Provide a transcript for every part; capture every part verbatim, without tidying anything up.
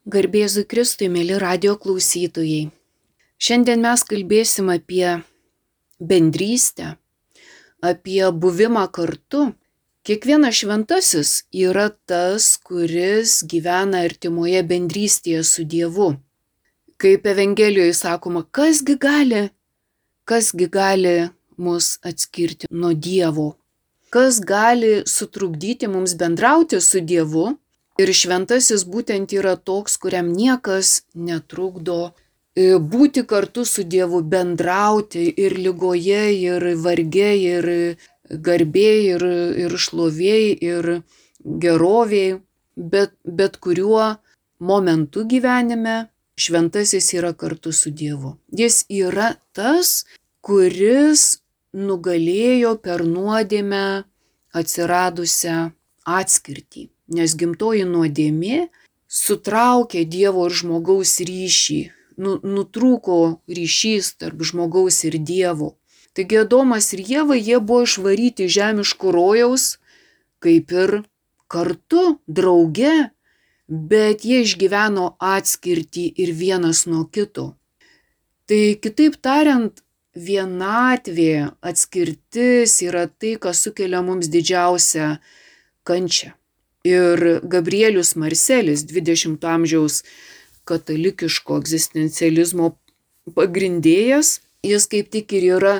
Garbė Jėzui Kristui, mėly radio klausytojai. Šiandien mes kalbėsim apie bendrystę, apie buvimą kartu. Kiekvienas šventasis yra tas, kuris gyvena artimoje bendrystėje su Dievu. Kaip Evangelijoje sakoma, kasgi gali, kasgi gali mus atskirti nuo Dievo, kas gali sutrukdyti mums bendrauti su Dievu. Ir šventasis būtent yra toks, kuriam niekas netrukdo būti kartu su Dievu, bendrauti ir ligoje, ir varge, ir garbėj, ir, ir šlovėj, ir gerovėj. Bet, bet kuriuo momentu gyvenime šventasis yra kartu su Dievu. Jis yra tas, kuris nugalėjo per nuodėmę atsiradusią atskirtį. Nes gimtoji nuodėmė sutraukė Dievo ir žmogaus ryšį, nu, nutrūko ryšys tarp žmogaus ir Dievo. Taigi Adomas ir Ieva, jie buvo išvaryti žemiško rojaus, kaip ir kartu, drauge, bet jie išgyveno atskirtį ir vienas nuo kito. Tai kitaip tariant, vienatvė, atskirtis yra tai, kas sukelia mums didžiausią kančią. Ir Gabrielius Marselis, dvidešimto amžiaus katalikiško egzistencializmo pagrindėjas, jis kaip tik ir yra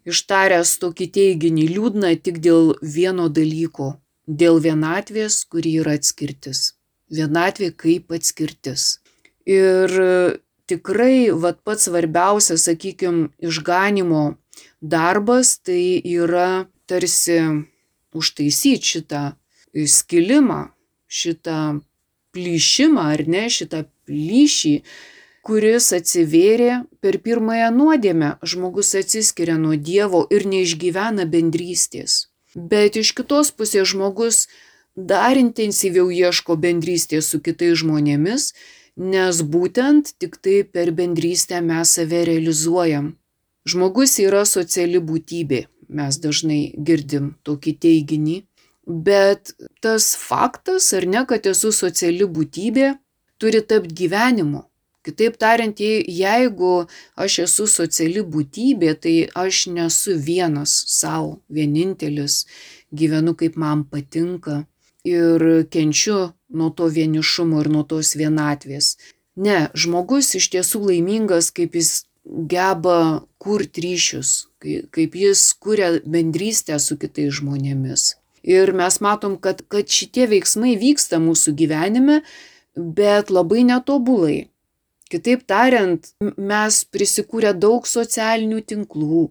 ištaręs tokį teiginį: liūdna tik dėl vieno dalyko, dėl vienatvės, kuri yra atskirtis. Vienatvė kaip atskirtis. Ir tikrai vat, pats svarbiausias, sakykime, išganimo darbas tai yra tarsi užtaisyti šitą skilimą, šitą plyšimą, ar ne, šitą plyšį, kuris atsivėrė per pirmąją nuodėmę. Žmogus atsiskiria nuo Dievo ir neišgyvena bendrystės. Bet iš kitos pusės žmogus dar intensyviau ieško bendrystės su kitais žmonėmis, nes būtent tik tai per bendrystę mes save realizuojam. Žmogus yra sociali būtybė, mes dažnai girdim tokį teiginį. Bet tas faktas, ar ne, kad esu sociali būtybė, turi tapti gyvenimu. Kitaip tariant, jeigu aš esu sociali būtybė, tai aš nesu vienas savo, vienintelis, gyvenu kaip man patinka ir kenčiu nuo to vienišumo ir nuo tos vienatvės. Ne, žmogus iš tiesų laimingas, kaip jis geba kurti ryšius, kaip jis kuria bendrystę su kitais žmonėmis. Ir mes matom, kad, kad šitie veiksmai vyksta mūsų gyvenime, bet labai netobulai. Kitaip tariant, mes prisikūrę daug socialinių tinklų.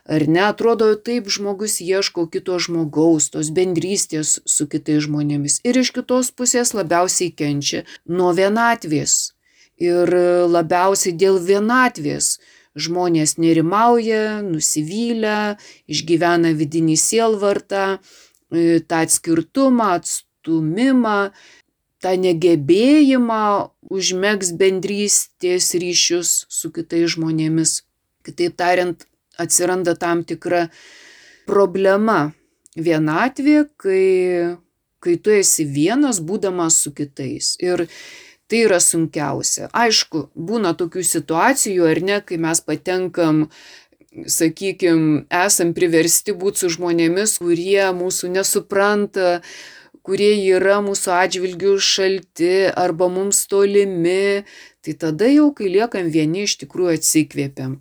Ar ne, atrodo, taip žmogus ieško kito žmogaus, tos bendrystės su kitais žmonėmis. Ir iš kitos pusės labiausiai kenčia nuo vienatvės. Ir labiausiai dėl vienatvės žmonės nerimauja, nusivylę, išgyvena vidinį sielvartą, tą atskirtumą, atstumimą, tą negebėjimą užmegzti bendrystės ryšius su kitais žmonėmis. Kitaip tariant, atsiranda tam tikra problema. Vienatvė, kai, kai tu esi vienas, būdamas su kitais. Ir tai yra sunkiausia. Aišku, būna tokių situacijų, ar ne, kai mes patenkam, sakykime, esam priversti būti su žmonėmis, kurie mūsų nesupranta, kurie yra mūsų atžvilgių šalti arba mums tolimi, tai tada jau, kai liekam vieni, iš tikrųjų atsikvėpiam.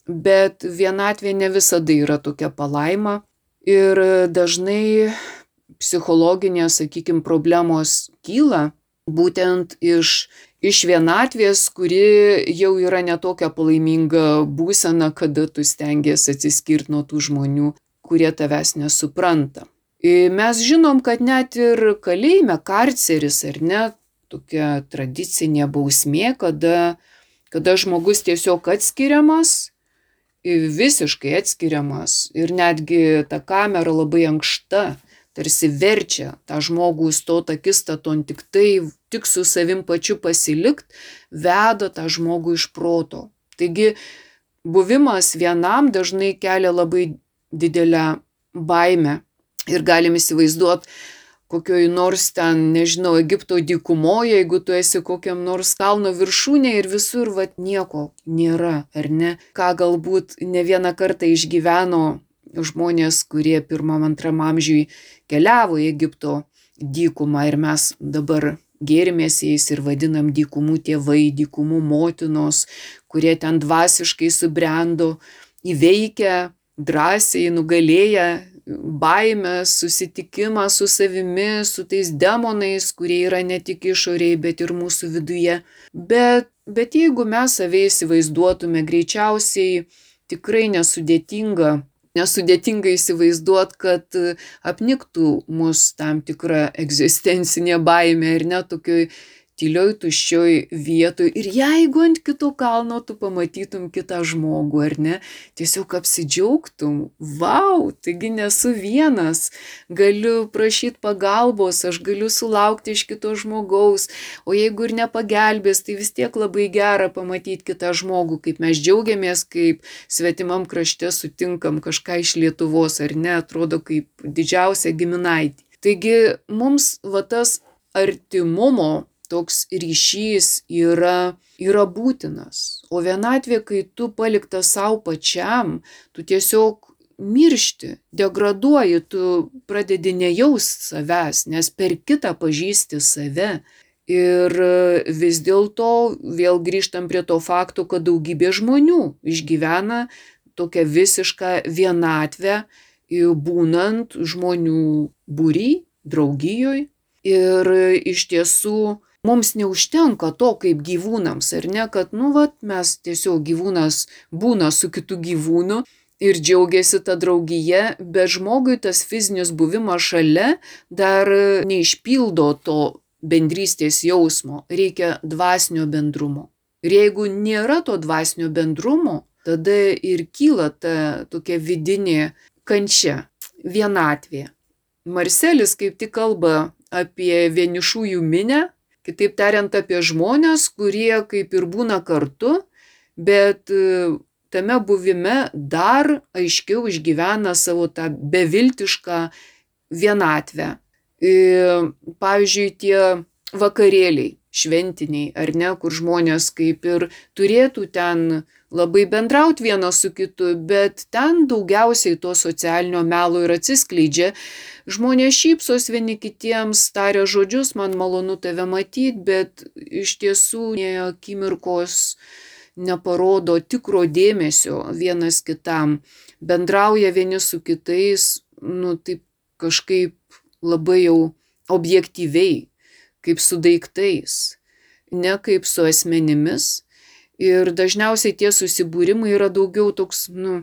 Bet vienatvė ne visada yra tokia palaima ir dažnai psichologinės, sakykime, problemos kyla būtent iš Iš vienatvės, kuri jau yra netokia palaiminga būsena, kada tu stengiesi atsiskirti nuo tų žmonių, kurie tavęs nesupranta. Mes žinom, kad net ir kalėjime, karceris, ar ne, tokia tradicinė bausmė, kada, kada žmogus tiesiog atskiriamas, visiškai atskiriamas ir netgi ta kamera labai ankšta, tarsi verčia tą žmogų stot akistaton tik tai, tik su savim pačiu pasilikt, veda tą žmogų iš proto. Taigi buvimas vienam dažnai kelia labai didelę baimę ir galim įsivaizduoti, kokioj nors ten, nežinau, Egipto dykumoje, jeigu tu esi kokiam nors kalno viršūnė ir visur vat nieko nėra, ar ne? Ką galbūt ne vieną kartą išgyveno žmonės, kurie pirmam, antram amžiui keliavo į Egipto dykumą ir mes dabar gėrimės jais ir vadinam dykumų tėvai, dykumų motinos, kurie ten dvasiškai subrendo, įveikę, drąsiai nugalėję baimę, susitikimą su savimi, su tais demonais, kurie yra ne tik išoriai, bet ir mūsų viduje. Bet, bet jeigu mes save įsivaizduotume, greičiausiai tikrai nesudėtinga, nesudėtinga įsivaizduot, kad apniktų mus tam tikra egzistencinė baimė ir net tokioj tylioj, tuščioj vietoj. Ir jeigu ant kito kalno tu pamatytum kitą žmogų, ar ne, tiesiog apsidžiaugtum, vau, taigi nesu vienas, galiu prašyti pagalbos, aš galiu sulaukti iš kito žmogaus, o jeigu ir nepagelbės, tai vis tiek labai gera pamatyti kitą žmogų, kaip mes džiaugiamės, kaip svetimam krašte sutinkam kažką iš Lietuvos, ar ne, atrodo kaip didžiausia giminaitė. Taigi mums va tas artimumo toks ryšys yra, yra būtinas. O vienatvė, kai tu paliktas savo pačiam, tu tiesiog miršti, degraduoji, tu pradedi nejaust savęs, nes per kitą pažįsti save. Ir vis dėlto vėl grįžtam prie to fakto, kad daugybė žmonių išgyvena tokią visišką vienatvę, būnant žmonių būry, draugijoj. Ir iš tiesų mums neužtenka to kaip gyvūnams, ar ne, kad, nu, vat, mes tiesiog gyvūnas būna su kitu gyvūnu ir džiaugiasi tą draugiją, bet žmogui tas fizinis buvimas šalia dar neišpildo to bendrystės jausmo, reikia dvasinio bendrumo. Ir jeigu nėra to dvasinio bendrumo, tada ir kyla ta tokia vidinė kančia, vienatvė. Marselis kaip tik kalba apie vienišųjų minę, kitaip tariant apie žmonės, kurie kaip ir būna kartu, bet tame buvime dar aiškiau išgyvena savo tą beviltišką vienatvę. Pavyzdžiui, tie vakarėliai šventiniai, ar ne, kur žmonės kaip ir turėtų ten labai bendrauti vienas su kitu, bet ten daugiausiai to socialinio melo ir atsiskleidžia. Žmonės šypsos vieni kitiems, taria žodžius, man malonu tave matyti, bet iš tiesų nė akimirkos neparodo tikro dėmesio vienas kitam. Bendrauja vieni su kitais, nu taip kažkaip labai jau objektyviai, kaip su daiktais, ne kaip su asmenimis. Ir dažniausiai tie susibūrimai yra daugiau toks, nu,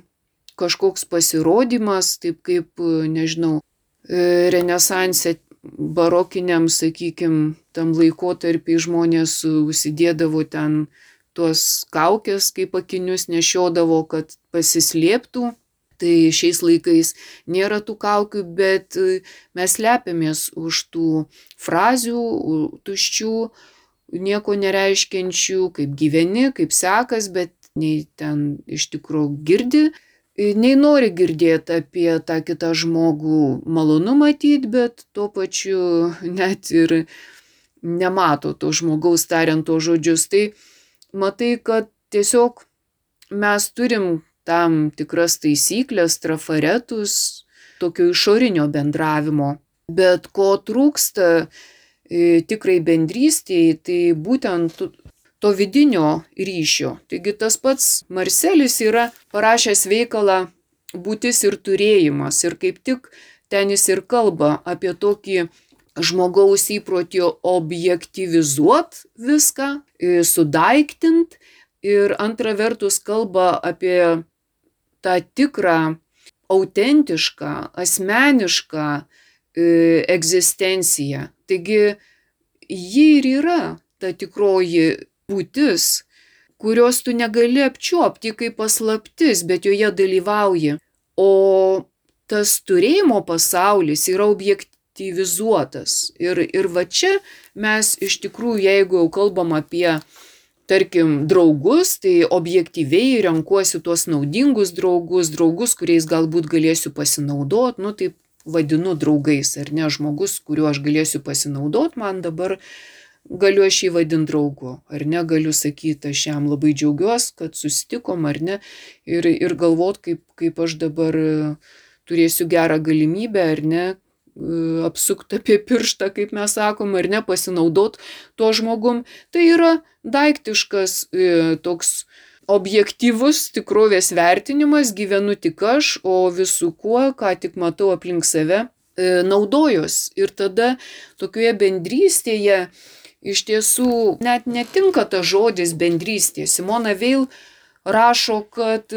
kažkoks pasirodymas, taip kaip, nežinau, renesanse barokiniam, sakykim, tam laikotarpį žmonės užsidėdavo ten tuos kaukės, kaip akinius nešiodavo, kad pasislėptų. Tai šiais laikais nėra tų kaukių, bet mes slepiamės už tų frazių, tuščių, nieko nereiškiančių, kaip gyveni, kaip sekas, bet nei ten iš tikrųjų girdi, nei nori girdėti apie tą kitą žmogų, malonu matyti, bet tuo pačiu net ir nemato to žmogaus tariant to žodžius. Tai matai, kad tiesiog mes turim tam tikras taisyklės, trafaretus, tokio išorinio bendravimo. Bet ko trūksta e, tikrai bendrystėje, tai būtent to vidinio ryšio. Taigi tas pats Marselis yra parašęs veikalą Būtis ir turėjimas. Ir kaip tik ten jis ir kalba apie tokį žmogaus įprotį objektyvizuot viską, e, sudaiktint. Ir antra vertus kalba apie tą tikrą, autentišką, asmenišką e, egzistenciją. Taigi ji ir yra ta tikroji būtis, kurios tu negali apčiuopti kaip paslaptis, bet joje dalyvauji. O tas turėjimo pasaulis yra objektyvizuotas. Ir, ir va čia mes iš tikrųjų, jeigu jau kalbam apie tarkim, draugus, tai objektyviai renkuosi tuos naudingus draugus, draugus, kuriais galbūt galėsiu pasinaudoti, nu taip vadinu draugais, ar ne, žmogus, kuriuo aš galėsiu pasinaudoti, man dabar galiu aš jį vadinti draugu, ar ne, galiu sakyti, aš jam labai džiaugiuosi, kad susitikom, ar ne, ir, ir galvot, kaip, kaip aš dabar turėsiu gerą galimybę, ar ne, apsukti apie pirštą, kaip mes sakom, ar ne, pasinaudot tuo žmogum. Tai yra daiktiškas toks objektyvus tikrovės vertinimas, gyvenu tik aš, o visų kuo, ką tik matau aplink save, naudojos. Ir tada tokioje bendrystėje iš tiesų net netinka ta žodis bendrystė. Simona Veil rašo, kad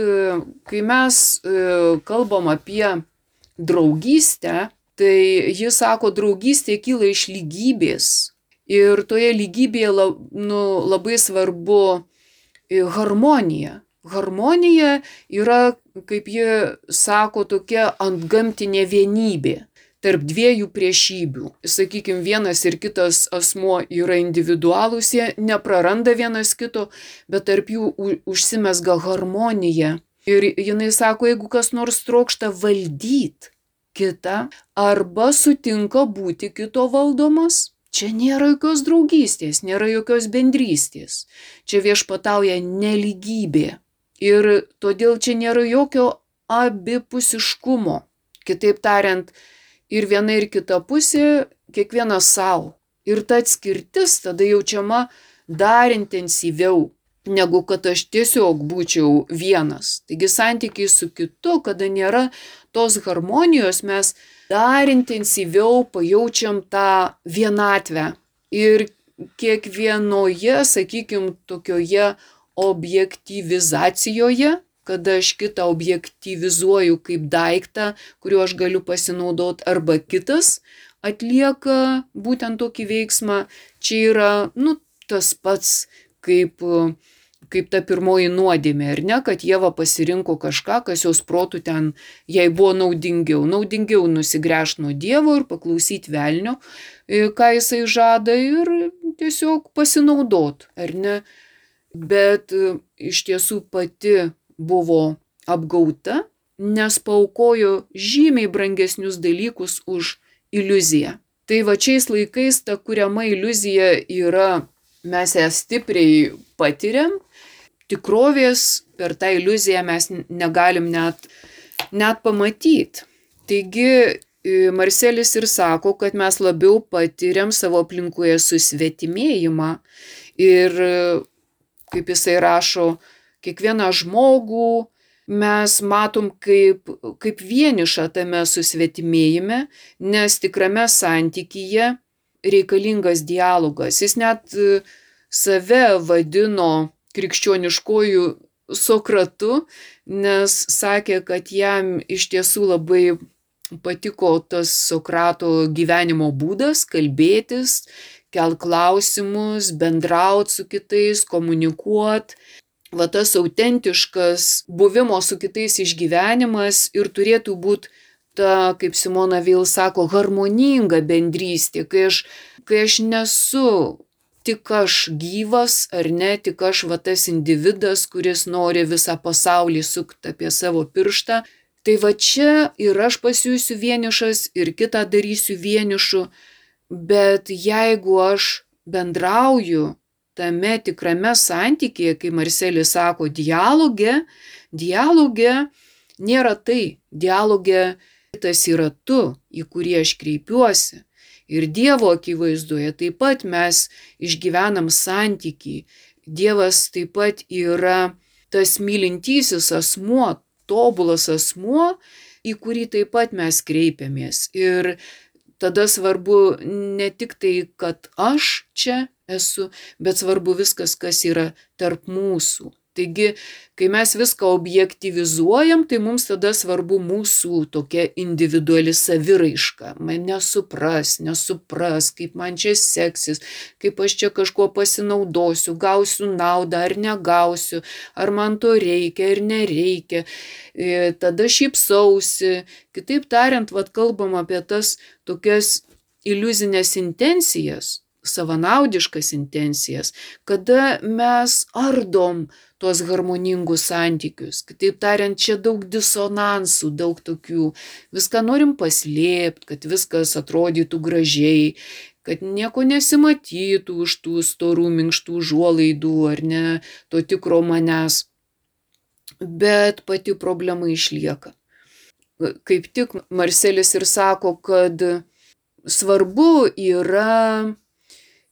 kai mes kalbam apie draugystę, tai jis sako, draugystė kyla iš lygybės. Ir toje lygybėje nu, labai svarbu harmonija. Harmonija yra, kaip jie sako, tokia antgamtinė vienybė tarp dviejų priešybių. Sakykime, vienas ir kitas asmuo yra individualūs, jie nepraranda vienas kito, bet tarp jų užsimezga harmonija. Ir jinai sako, jeigu kas nors trokšta valdyti kitą arba sutinka būti kito valdomas, čia nėra jokios draugystės, nėra jokios bendrystės. Čia viešpatauja nelygybė. Ir todėl čia nėra jokio abipusiškumo. Kitaip tariant, ir viena ir kita pusė, kiekvienas savo. Ir ta atskirtis tada jaučiama dar intensyviau, negu kad aš tiesiog būčiau vienas. Taigi santykiai su kitu, kada nėra tos harmonijos, mes dar intensyviau pajaučiam tą vienatvę. Ir kiekvienoje, sakykime, tokioje objektyvizacijoje, kada aš kitą objektyvizuoju kaip daiktą, kuriuo aš galiu pasinaudoti, arba kitas atlieka būtent tokį veiksmą, čia yra nu, tas pats kaip, kaip ta pirmoji nuodėmė, ar ne, kad Ieva pasirinko kažką, kas jos protų ten jai buvo naudingiau. Naudingiau nusigręžti nuo Dievo ir paklausyti velnio, ką jisai žada, ir tiesiog pasinaudot, ar ne. Bet iš tiesų pati buvo apgauta, nes paaukojo žymiai brangesnius dalykus už iliuziją. Tai va šiais laikais ta kuriama iliuzija yra, mes ją stipriai patiriam, tikrovės per tą iliuziją mes negalim net, net pamatyti. Taigi Marselis ir sako, kad mes labiau patiriam savo aplinkoje susvetimėjimą ir, kaip jisai rašo, kiekvieną žmogų mes matom kaip, kaip vienišą tame susvetimėjime, nes tikrame santykyje reikalingas dialogas. Jis net save vadino krikščioniškojų Sokratu, nes sakė, kad jam iš tiesų labai patiko tas Sokrato gyvenimo būdas, kalbėtis, kelt klausimus, bendraut su kitais, komunikuot. Va tas autentiškas buvimo su kitais išgyvenimas ir turėtų būti ta, kaip Simona Veil sako, harmoninga bendrystė, kai aš, kai aš nesu tik aš gyvas, ar ne, tik aš va tas individas, kuris nori visą pasaulį sukti apie savo pirštą. Tai va čia ir aš pasijusiu vienišas, ir kitą darysiu vienišu, bet jeigu aš bendrauju tame tikrame santykėje, kai Marselis sako, dialoge, dialoge nėra tai, dialoge tas yra tu, į kurį aš kreipiuosi. Ir Dievo akivaizdoje taip pat mes išgyvenam santykį. Dievas taip pat yra tas mylintysis asmuo, tobulas asmuo, į kurį taip pat mes kreipiamės. Ir tada svarbu ne tik tai, kad aš čia esu, bet svarbu viskas, kas yra tarp mūsų. Taigi, kai mes viską objektyvizuojam, tai mums tada svarbu mūsų tokia individuali saviraiška. Man nesupras, nesupras, kaip man čia seksis, kaip aš čia kažkuo pasinaudosiu, gausiu naudą ar negausiu, ar man to reikia ar nereikia. E, tada šypsausi. Kitaip tariant, vat kalbam apie tas tokias iliuzinės intencijas. savanaudiškas intencijas, kada mes ardom tuos harmoningus santykius. Kitaip tariant, čia daug disonansų, daug tokių, viską norim paslėpti, kad viskas atrodytų gražiai, kad nieko nesimatytų už tų storų, minkštų užuolaidų, ar ne, to tikro manęs. Bet pati problema išlieka. Kaip tik Marselis ir sako, kad svarbu yra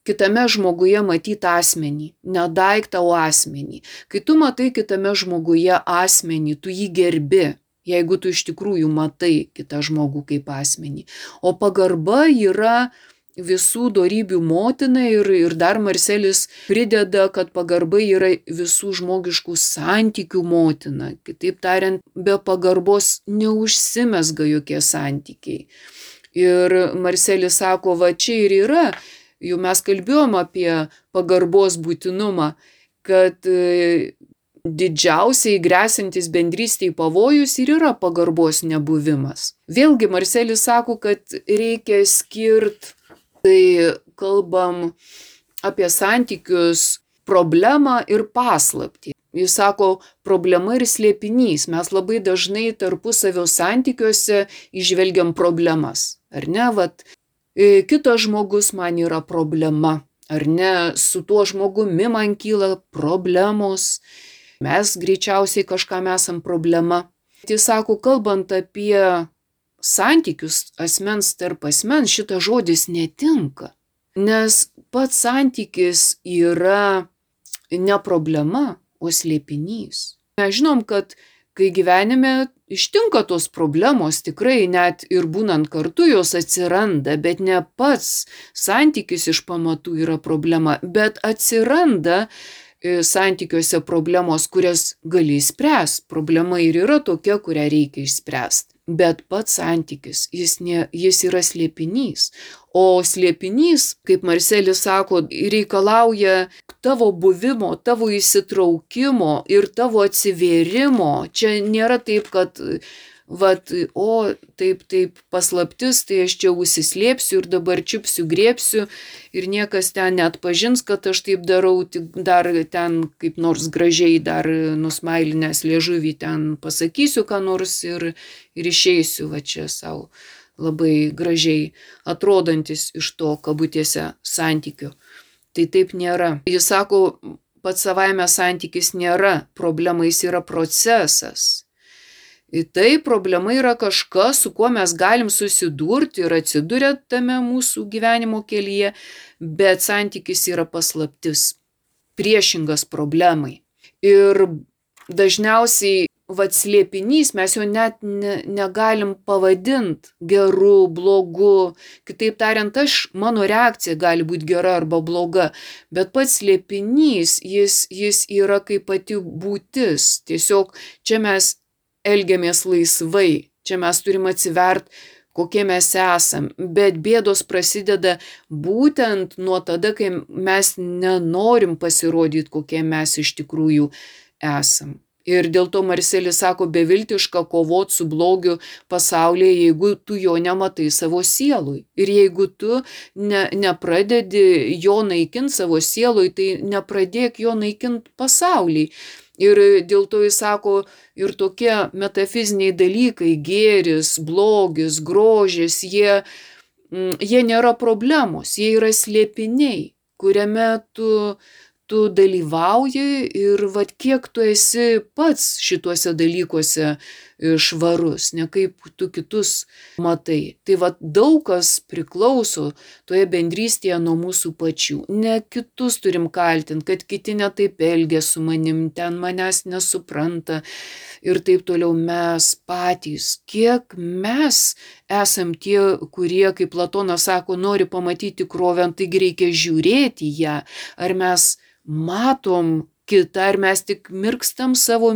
kitame žmoguje matyti asmenį, ne daiktą, o asmenį. Kai tu matai kitame žmoguje asmenį, tu jį gerbi, jeigu tu iš tikrųjų matai kitą žmogų kaip asmenį. O pagarba yra visų dorybių motina ir, ir dar Marselis prideda, kad pagarba yra visų žmogiškų santykių motina. Kitaip tariant, be pagarbos neužsimezga jokie santykiai. Ir Marselis sako, va čia ir yra, jau mes kalbėjom apie pagarbos būtinumą, kad didžiausiai grėsintis bendrystėj pavojus ir yra pagarbos nebuvimas. Vėlgi Marselis sako, kad reikia skirti, tai kalbam apie santykius, problemą ir paslaptį. Jis sako, problema ir slėpinys. Mes labai dažnai tarpusavio santykiuose įžvelgiam problemas. Ar ne, vat, kitas žmogus man yra problema. Ar ne, su tuo žmogumi man kyla problemos. Mes greičiausiai kažkam esam problema. Jis sako, kalbant apie santykius asmens tarp asmens, šitas žodis netinka. Nes pats santykis yra ne problema, o slėpinys. Mes žinom, kad kai gyvenime ištinka tos problemos, tikrai net ir būnant kartu jos atsiranda, bet ne pats santykis iš pamatų yra problema, bet atsiranda santykiuose problemos, kurias gali išspręsti. Problema ir yra tokia, kurią reikia išspręsti. Bet pats santykis, jis, ne, jis yra slėpinys. O slėpinys, kaip Marselis sako, reikalauja tavo buvimo, tavo įsitraukimo ir tavo atsivėrimo. Čia nėra taip, kad vat, o taip, taip, paslaptis, tai aš čia užsislėpsiu ir dabar čiupsiu, griebsiu ir niekas ten neatpažins, kad aš taip darau, tik dar ten kaip nors gražiai dar nusmailinęs liežuvį ten pasakysiu ką nors ir, ir išeisiu va čia savo labai gražiai atrodantis iš to kabutėse santykių. Tai taip nėra. Jis sako, pats savaime santykis nėra problema, jis yra procesas. Ir tai problema yra kažkas, su kuo mes galim susidurti ir atsidurę tame mūsų gyvenimo kelyje, bet santykis yra paslaptis, priešingas problemai. Ir dažniausiai vat slėpinys, mes jo net ne, negalim pavadinti geru, blogu. Kitaip tariant, aš, mano reakcija gali būti gera arba bloga, bet pats slėpinys, jis, jis yra kaip pati būtis. Tiesiog čia mes elgiamės laisvai, čia mes turim atsivert, kokie mes esam, bet bėdos prasideda būtent nuo tada, kai mes nenorim pasirodyti, kokie mes iš tikrųjų esam. Ir dėl to Marselis sako, beviltiška kovot su blogiu pasaulyje, jeigu tu jo nematai savo sielui. Ir jeigu tu ne, nepradedi jo naikinti savo sielui, tai nepradėk jo naikinti pasaulyje. Ir dėl to jis sako, ir tokie metafiziniai dalykai, gėris, blogis, grožis, jie, jie nėra problemos, jie yra slėpiniai, kuriame tu, tu dalyvauji ir vat kiek tu esi pats šituose dalykuose švarus, ne kaip tu kitus matai. Tai vat daug kas priklauso toje bendrystėje nuo mūsų pačių. Ne kitus turim kaltinti, kad kiti netaip elgia su manim, ten manęs nesupranta ir taip toliau. Mes patys, kiek mes esam tie, kurie, kaip Platonas sako, nori pamatyti tikrovę, taigi reikia žiūrėti ją, ar mes matom kitą, ar mes tik mirkstam savo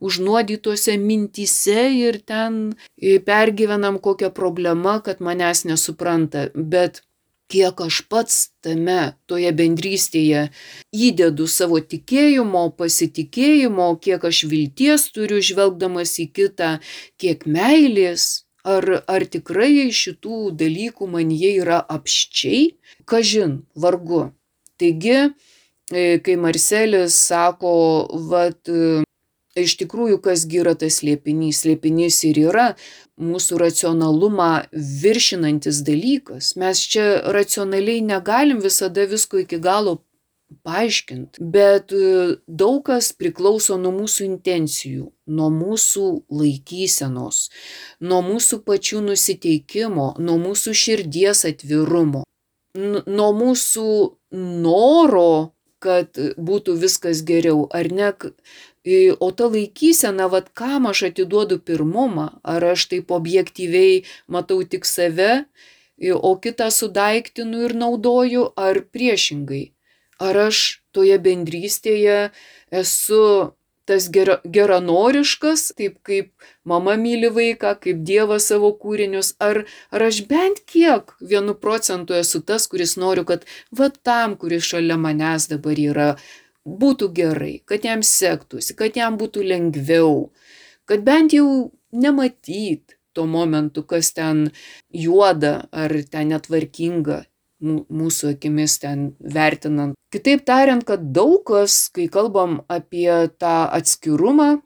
užnuodytose mintyse ir ten pergyvenam kokią problemą, kad manęs nesupranta, bet kiek aš pats tame, toje bendrystėje įdedu savo tikėjimo, pasitikėjimo, kiek aš vilties turiu žvelgdamas į kitą, kiek meilės, Ar, ar tikrai šitų dalykų manyje yra apsčiai? Kažin, vargu. Taigi, kai Marselis sako, vat, iš tikrųjų, kasgi yra tas slėpinys? Slėpinys ir yra mūsų racionalumą viršinantis dalykas. Mes čia racionaliai negalim visada visko iki galo paaiškinti, bet daug kas priklauso nuo mūsų intencijų, nuo mūsų laikysenos, nuo mūsų pačių nusiteikimo, nuo mūsų širdies atvirumo, nuo mūsų noro, kad būtų viskas geriau, ar ne? O ta laikysena, vat kam aš atiduodu pirmumą, ar aš taip objektyviai matau tik save, o kitą sudaiktinu ir naudoju, ar priešingai. Ar aš toje bendrystėje esu tas gera, geranoriškas, taip kaip mama myli vaiką, kaip Dievas savo kūrinius, ar, ar aš bent kiek vienu procentu esu tas, kuris noriu, kad va tam, kuris šalia manęs dabar yra, būtų gerai, kad jam sektųsi, kad jam būtų lengviau, kad bent jau nematyt tuo momentu, kas ten juoda ar ten netvarkinga, mūsų akimis ten vertinant. Kitaip tariant, kad daug kas, kai kalbam apie tą atskirumą,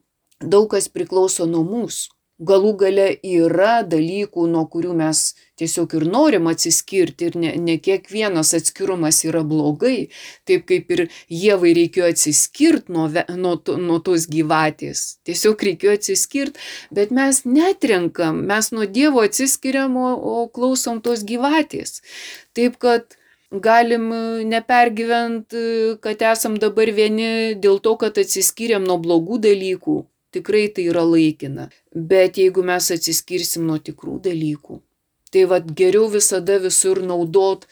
daug kas priklauso nuo mūsų. Galų gale yra dalykų, nuo kurių mes tiesiog ir norim atsiskirti ir ne, ne kiekvienas atskirumas yra blogai. Taip kaip ir Ievai reikėjo atsiskirti nuo, nuo, nuo tos gyvatės. Tiesiog reikėjo atsiskirti, bet mes netrenkam, mes nuo Dievo atsiskiriam, o, o klausom tos gyvatės. Taip kad galim nepergyventi, kad esam dabar vieni dėl to, kad atsiskiriam nuo blogų dalykų. Tikrai tai yra laikina. Bet jeigu mes atsiskirsim nuo tikrų dalykų, tai vat geriau visada visur naudot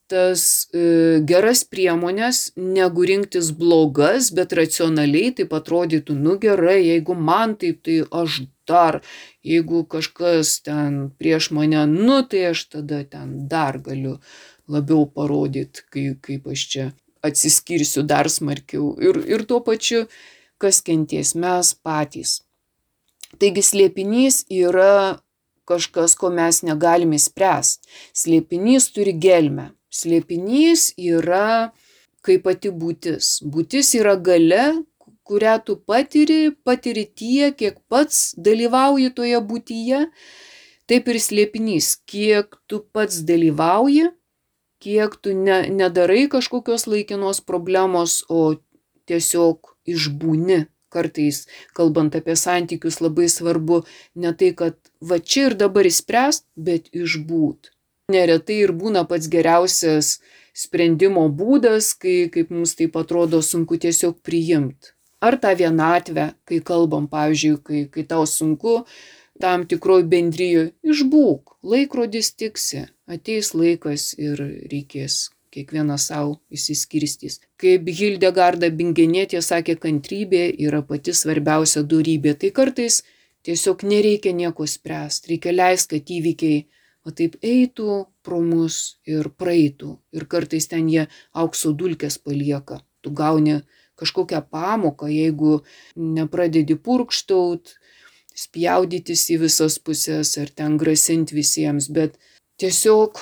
tas e, geras priemonės, negu rinktis blogas, bet racionaliai taip atrodytų, nu gerai, jeigu man taip, tai aš dar, jeigu kažkas ten prieš mane, nu tai aš tada ten dar galiu labiau parodyti, kaip, kaip aš čia atsiskirsiu dar smarkiau. Ir, ir tuo pačiu, kas kenties, mes patys. Taigi slėpinys yra kažkas, ko mes negalime spręsti. Slėpinys turi gelmę. Slėpinys yra kaip pati būtis. Būtis yra galia, kurią tu patiri, patiri tiek, kiek pats dalyvauji toje būtyje. Taip ir slėpinys, kiek tu pats dalyvauji, kiek tu ne, nedarai kažkokios laikinos problemos, o tiesiog išbūni. Kartais, kalbant apie santykius, labai svarbu ne tai, kad va čia ir dabar išspręst, bet išbūt. Neretai ir būna pats geriausias sprendimo būdas, kai, kaip mums taip atrodo, sunku tiesiog priimti. Ar tą vienatvę, kai kalbam, pavyzdžiui, kai, kai tau sunku, tam tikroj bendrijoj, išbūk, laikrodis tiksi, ateis laikas ir reikės. Kiekvienas savo išsiskirstys. Kaip Hildegarda Bingenietė sakė, kantrybė yra pati svarbiausia dorybė. Tai kartais tiesiog nereikia nieko spręsti. Reikia leisti, kad įvykiai va taip eitų pro mus ir praeitų. Ir kartais ten jie aukso dulkes palieka. Tu gauni kažkokią pamoką, jeigu nepradedi purkštaut, spjaudytis į visas pusės ar ten grasinti visiems. Bet tiesiog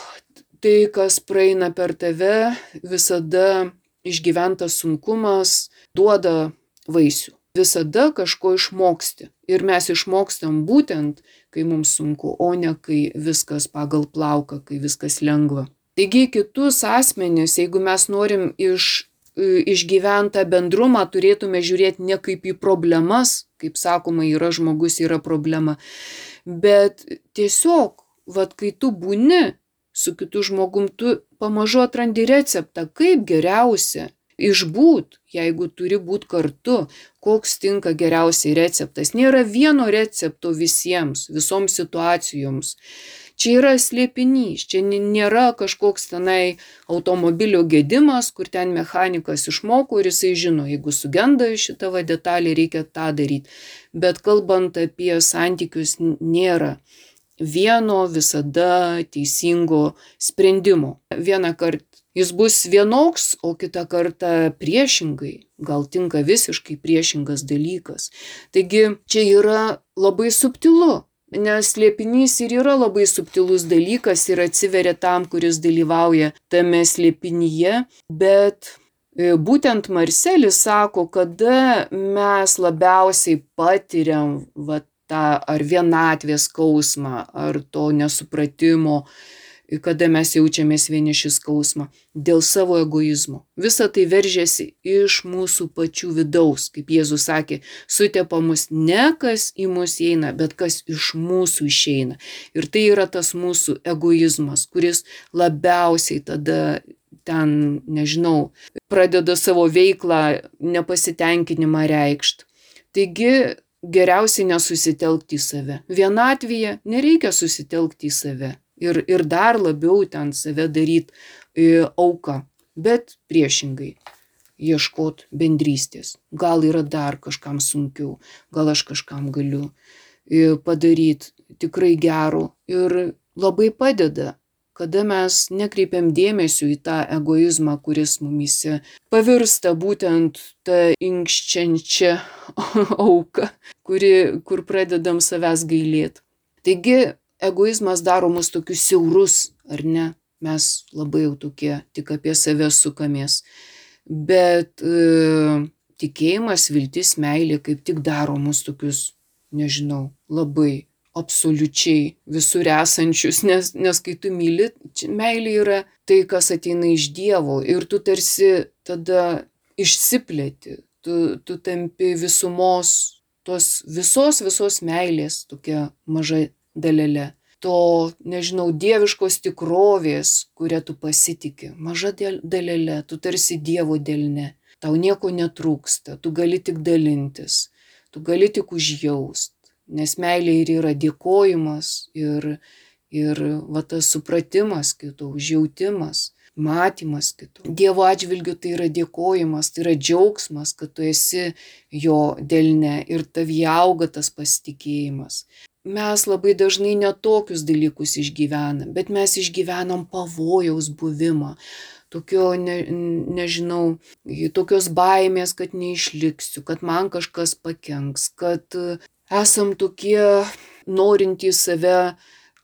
tai, kas praeina per tave, visada išgyventas sunkumas duoda vaisių. Visada kažko išmoksti. Ir mes išmokstam būtent, kai mums sunku, o ne kai viskas pagal plauką, kai viskas lengva. Taigi kitus asmenis, jeigu mes norim iš, išgyventą bendrumą, turėtume žiūrėti ne kaip į problemas, kaip sakoma, yra žmogus, yra problema, bet tiesiog, vat kai tu būni su kitu žmogum, tu pamažu atrandi receptą, kaip geriausia išbūt, jeigu turi būti kartu, koks tinka geriausiai receptas. Nėra vieno recepto visiems, visoms situacijoms. Čia yra slėpinys, čia nėra kažkoks tenai automobilio gedimas, kur ten mechanikas išmoko ir jisai žino, jeigu sugenda šitą va detalę, reikia tą daryti. Bet kalbant apie santykius, nėra vieno visada teisingo sprendimo. Vieną kartą jis bus vienoks, o kitą kartą priešingai, gal tinka visiškai priešingas dalykas. Taigi čia yra labai subtilu, Nes slėpinys ir yra labai subtilus dalykas ir atsiveria tam, kuris dalyvauja tame slėpinyje, bet būtent Marselis sako, kada mes labiausiai patiriam va, tą ar vienatvės skausmą, ar to nesupratimo, kada mes jaučiamės vieniši skausmą, dėl savo egoizmo. Visa tai veržiasi iš mūsų pačių vidaus, kaip Jėzus sakė, sutepa mus ne kas į mus eina, bet kas iš mūsų išeina. Ir tai yra tas mūsų egoizmas, kuris labiausiai tada ten, nežinau, pradeda savo veiklą, nepasitenkinimą reikšt. Taigi geriausiai nesusitelkti į save. Vienatvėje nereikia susitelkti į save. Ir, ir dar labiau ten save daryti e, auką, bet priešingai ieškot bendrystės. Gal yra dar kažkam sunkiau, gal aš kažkam galiu e, padaryti tikrai gero ir labai padeda, kada mes nekreipiam dėmesio į tą egoizmą, kuris mumyse pavirsta būtent tą inkščiančią auką, kuri, kur pradedam savęs gailėti. Taigi, egoizmas daro mus tokius siaurus, ar ne? Mes labai jau tokie tik apie save sukamės. Bet e, tikėjimas, viltis, meilė kaip tik daro mus tokius, nežinau, labai absoliučiai visur esančius, nes, nes kai tu myli, meilė yra tai, kas ateina iš Dievo ir tu tarsi tada išsiplėti, tu, tu tampi visumos, tos visos visos meilės tokia maža dalelė, to, nežinau, dieviškos tikrovės, kurią tu pasitiki, maža dalelė, tu tarsi Dievo delne, tau nieko netrūksta, tu gali tik dalintis, tu gali tik užjaust, nes meilė ir yra dėkojimas ir, ir va, tas supratimas kito, užjautimas, matymas kito. Dievo atžvilgiu tai yra dėkojimas, tai yra džiaugsmas, kad tu esi jo delne ir tavyje auga tas pasitikėjimas. Mes labai dažnai netokius dalykus išgyvenam, bet mes išgyvenam pavojaus buvimą, tokio, ne, nežinau, tokios baimės, kad neišliksiu, kad man kažkas pakenks, kad esam tokie norintys save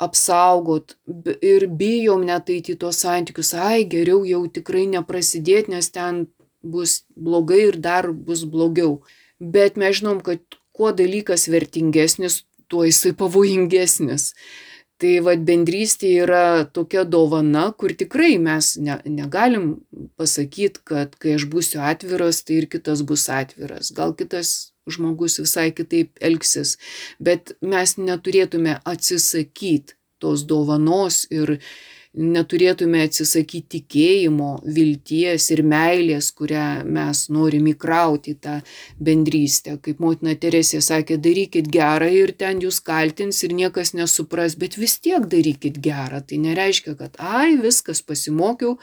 apsaugot ir bijom net eiti į tos santykius, ai, geriau jau tikrai neprasidėti, nes ten bus blogai ir dar bus blogiau. Bet mes žinom, kad kuo dalykas vertingesnis, tuo jisai pavojingesnis. Tai vat bendrystė yra tokia dovana, kur tikrai mes ne, negalim pasakyti, kad kai aš būsiu atviras, tai ir kitas bus atviras. Gal kitas žmogus visai kitaip elgsis, bet mes neturėtume atsisakyti tos dovanos ir neturėtume atsisakyti tikėjimo, vilties ir meilės, kurią mes norim įkrauti į tą bendrystę. Kaip motina Teresė sakė, darykit gerą ir ten jūs kaltins ir niekas nesupras, bet vis tiek darykit gerą. Tai nereiškia, kad ai, viskas pasimokiau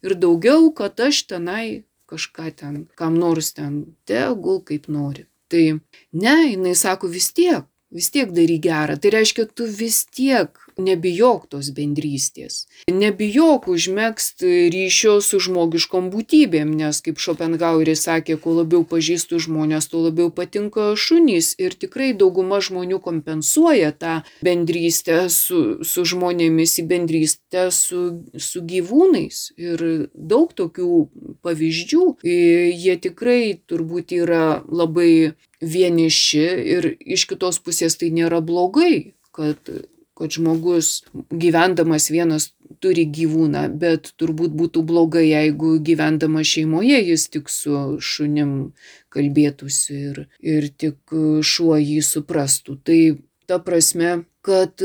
ir daugiau, kad aš tenai kažką ten, kam nors ten tegul kaip nori. Tai ne, jinai sako vis tiek, vis tiek daryk gerą. Tai reiškia, tu vis tiek nebijok tos bendrystės. Nebijok užmegzti ryšio su žmogiškom būtybėm, nes kaip Schopenhaueris sakė, kuo labiau pažįstu žmonės, tuo labiau patinka šunys. Ir tikrai dauguma žmonių kompensuoja tą bendrystę su, su žmonėmis į bendrystę su, su gyvūnais. Ir daug tokių pavyzdžių. Jie tikrai turbūt yra labai vieniši ir iš kitos pusės tai nėra blogai, kad kad žmogus gyvendamas vienas turi gyvūną, bet turbūt būtų blogai, jeigu gyvendamas šeimoje jis tik su šunim kalbėtųsi ir, ir tik šuo jį suprastų. Tai ta prasme, kad,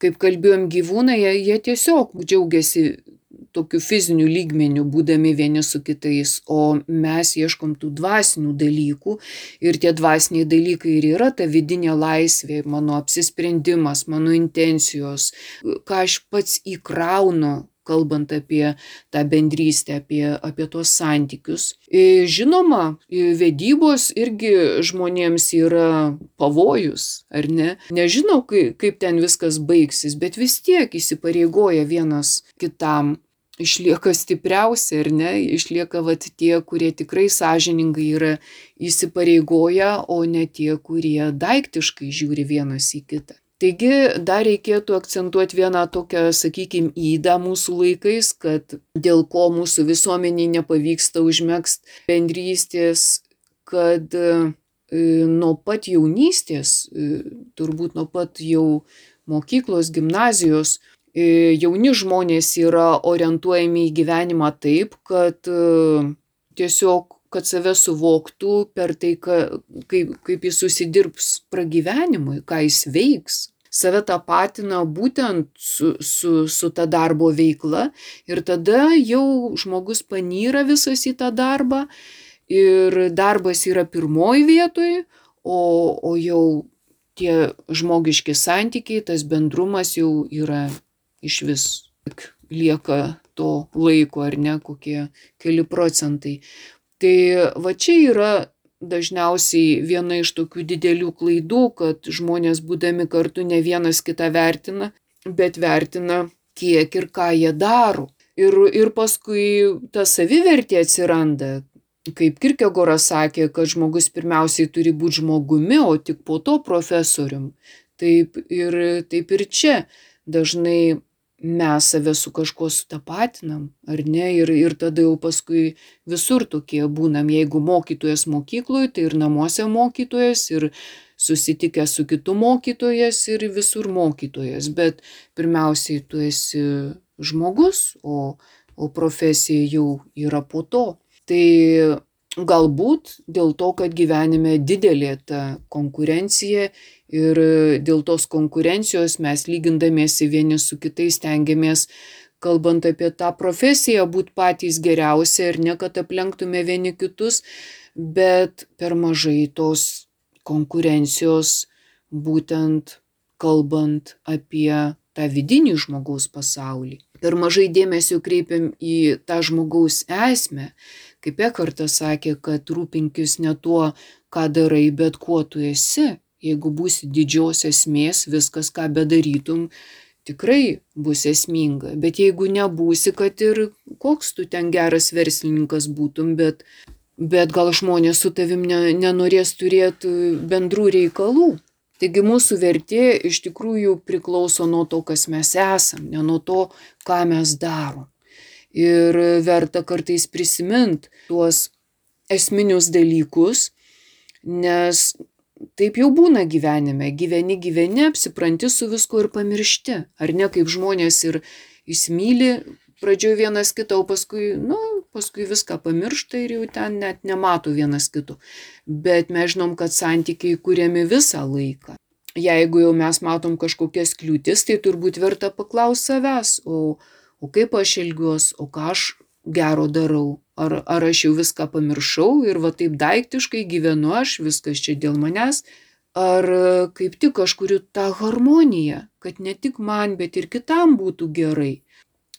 kaip kalbėjom, gyvūnai, jie, jie tiesiog džiaugiasi tokiu fiziniu lygmeniu, būdami vieni su kitais, o mes ieškom tų dvasinių dalykų ir tie dvasiniai dalykai ir yra ta vidinė laisvė, mano apsisprendimas, mano intencijos, ką aš pats įkraunu, kalbant apie tą bendrystę, apie, apie tuos santykius. Žinoma, vedybos irgi žmonėms yra pavojus, ar ne? Nežinau, kaip ten viskas baigsis, bet vis tiek įsipareigoja vienas kitam. Išlieka stipriausi, ar ne? Išlieka vat tie, kurie tikrai sąžiningai yra įsipareigoję, o ne tie, kurie daiktiškai žiūri vienas į kitą. Taigi dar reikėtų akcentuoti vieną tokią, sakykime, ydą mūsų laikais, kad dėl ko mūsų visuomeniai nepavyksta užmegzti bendrystės, kad nuo pat jaunystės, turbūt nuo pat jau mokyklos, gimnazijos, jauni žmonės yra orientuojami į gyvenimą taip, kad tiesiog, kad save suvoktų per tai, kaip, kaip jis susidirbs pragyvenimui, ką jis veiks. Save tapatina būtent su, su, su ta darbo veikla ir tada jau žmogus panyra visas į tą darbą ir darbas yra pirmoji vietoj, o, o jau tie žmogiški santykiai, tas bendrumas jau yra iš vis, lieka to laiko ar ne, kokie keli procentai. Tai va čia yra dažniausiai viena iš tokių didelių klaidų, kad žmonės būdami kartu ne vienas kitą vertina, bet vertina kiek ir ką jie daro. Ir, ir paskui ta savivertė atsiranda, kaip Kierkegoras sakė, kad žmogus pirmiausiai turi būti žmogumi, o tik po to profesorium. Taip ir, taip ir čia dažnai mes save su kažkuo sutapatinam, ar ne, ir, ir tada jau paskui visur tokie būnam, jeigu mokytojas mokykloje, tai ir namuose mokytojas, ir susitikęs su kitu mokytojas, ir visur mokytojas, bet pirmiausiai tu esi žmogus, o, o profesija jau yra po to. Tai galbūt dėl to, kad gyvenime didelė ta konkurencija ir dėl tos konkurencijos mes lygindamiesi vieni su kitais stengiamės, kalbant apie tą profesiją, būti patys geriausi ir ne kad aplenktume vieni kitus, bet per mažai tos konkurencijos būtent kalbant apie tą vidinį žmogaus pasaulį. Per mažai dėmesio kreipiam į tą žmogaus esmę. Kaip Ekhartas sakė, kad rūpinkis ne tuo, ką darai, bet kuo tu esi. Jeigu būsi didžios esmės, viskas, ką bedarytum, tikrai bus esminga. Bet jeigu nebūsi, kad ir koks tu ten geras verslininkas būtum, bet, bet gal žmonės su tavim ne, nenorės turėti bendrų reikalų. Taigi mūsų vertė iš tikrųjų priklauso nuo to, kas mes esam, ne nuo to, ką mes darom. Ir verta kartais prisiminti tuos esminius dalykus, nes taip jau būna gyvenime. Gyveni, gyveni, apsipranti su visku ir pamiršti. Ar ne, kaip žmonės ir įsimyli pradžioje vienas kitą, o paskui, nu, paskui viską pamiršta ir jau ten net nemato vienas kito. Bet mes žinom, kad santykiai kuriami visą laiką. Jeigu jau mes matom kažkokias kliūtis, tai turbūt verta paklausti savęs, o, o kaip aš elgiuos, o ką aš gero darau. Ar, ar aš jau viską pamiršau ir va taip daiktiškai gyvenu aš, viskas čia dėl manęs. Ar kaip tik aš kuriu tą harmoniją, kad ne tik man, bet ir kitam būtų gerai.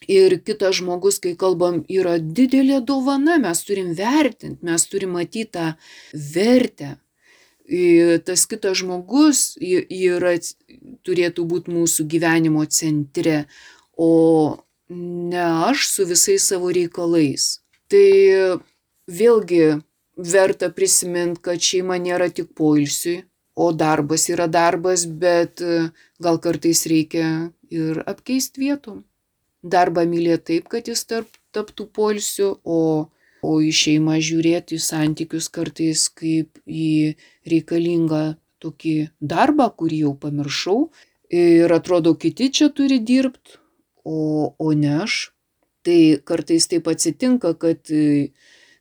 Ir kitas žmogus, kai kalbam, yra didelė dovana, mes turim vertinti, mes turim matyti tą vertę. Ir tas kitas žmogus yra, turėtų būti mūsų gyvenimo centre, o ne aš su visais savo reikalais. Tai vėlgi verta prisiminti, kad šeima nėra tik poilsiui, o darbas yra darbas, bet gal kartais reikia ir apkeisti vietom. Darbą mylėti taip, kad jis tarp, taptų poilsiu, o, o į šeimą žiūrėti, į santykius kartais kaip į reikalingą tokį darbą, kurį jau pamiršau. Ir atrodo, kiti čia turi dirbti, o, o ne aš. Tai kartais taip atsitinka, kad,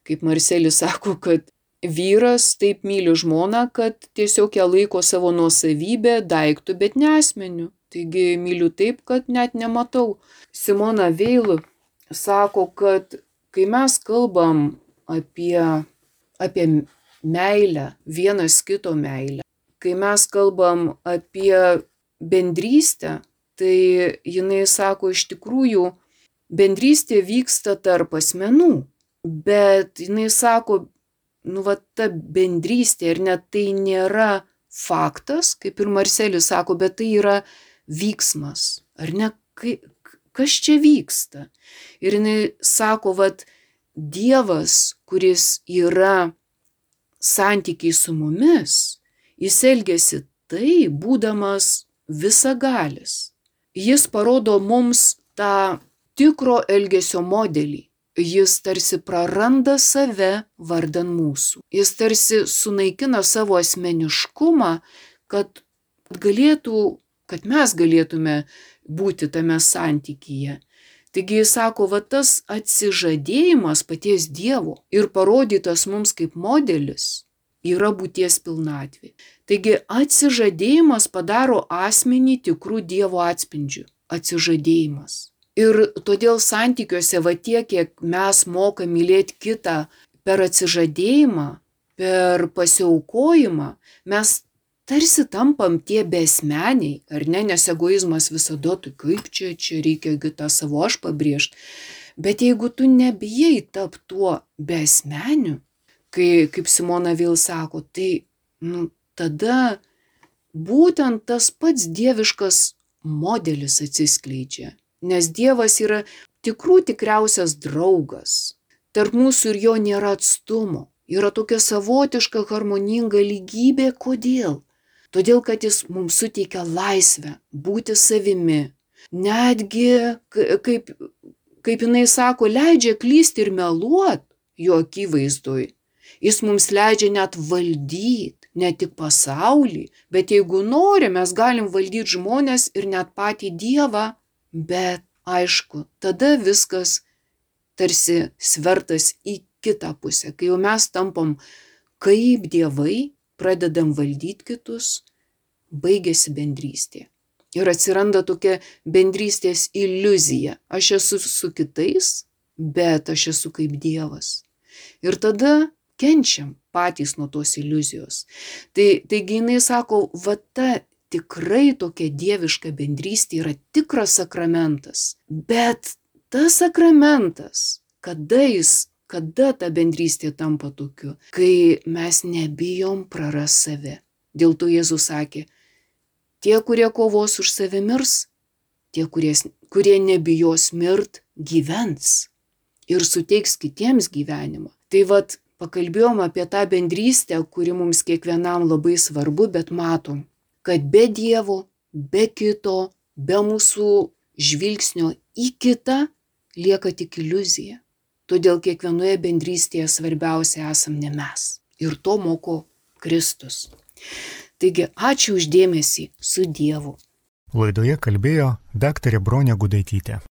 kaip Marcelis sako, kad vyras taip myli žmoną, kad tiesiog ją laiko savo nuosavybę, daiktų, bet ne asmeniu. Taigi myliu taip, kad net nematau. Simona Veil sako, kad kai mes kalbam apie, apie meilę, vienas kito meilę, kai mes kalbam apie bendrystę, tai jinai sako, iš tikrųjų, bendrystė vyksta tarp asmenų, bet jinai sako, nu va ta bendrystė, ir net tai nėra faktas, kaip ir Marcelis sako, bet tai yra vyksmas, ar ne, kas čia vyksta. Ir jinai sako, vat Dievas, kuris yra santykiai su mumis, jis elgiasi tai, būdamas visagalis. Jis parodo mums tą tikro elgesio modelį. Jis tarsi praranda save vardan mūsų. Jis tarsi sunaikina savo asmeniškumą, kad galėtų, kad mes galėtume būti tame santykyje. Taigi jis sako, va tas atsižadėjimas paties Dievo ir parodytas mums kaip modelis yra būties pilnatvė. Taigi atsižadėjimas padaro asmenį tikrų Dievo atspindžių. Atsižadėjimas. Ir todėl santykiuose va tiek, kiek mes mokam mylėti kitą per atsižadėjimą, per pasiaukojimą, mes tarsi tampam tie besmeniai, ar ne, nes egoizmas visada, tai kaip čia, čia reikia tą savo aš pabrėžti. Bet jeigu tu nebijai tap tuo besmeniu, kai, kaip Simona vėl sako, tai nu, tada būtent tas pats dieviškas modelis atsiskleidžia. Nes Dievas yra tikrų tikriausias draugas. Tarp mūsų ir jo nėra atstumo. Yra tokia savotiška harmoninga lygybė. Kodėl? Todėl, kad jis mums suteikia laisvę būti savimi. Netgi, kaip, kaip jinai sako, leidžia klysti ir meluot jo akivaizdoj. Jis mums leidžia net valdyti, ne tik pasaulį, bet jeigu nori, mes galim valdyti žmonės ir net patį Dievą. Bet aišku, tada viskas tarsi svertas į kitą pusę. Kai jau mes tampam kaip dievai, pradedam valdyti kitus, baigėsi bendrystė. Ir atsiranda tokia bendrystės iliuzija. Aš esu su kitais, bet aš esu kaip Dievas. Ir tada kenčiam patys nuo tos iliuzijos. Tai, taigi jinai sako, va ta tikrai tokia dieviška bendrystė yra tikras sakramentas. Bet tas sakramentas, kada jis, kada ta bendrystė tampa tokiu, kai mes nebijom praras save. Dėl to Jėzus sakė, tie, kurie kovos už save mirs, tie, kurie, kurie nebijos mirt, gyvens ir suteiks kitiems gyvenimą. Tai vat pakalbėjom apie tą bendrystę, kuri mums kiekvienam labai svarbu, bet matom, kad be Dievo, be kito, be mūsų žvilgsnio į kitą lieka tik iliuzija. Todėl kiekvienoje bendrystėje svarbiausia esam ne mes. Ir to moko Kristus. Taigi, ačiū už dėmesį, su Dievu. Laidoje kalbėjo daktarė Bronė Gudaitytė.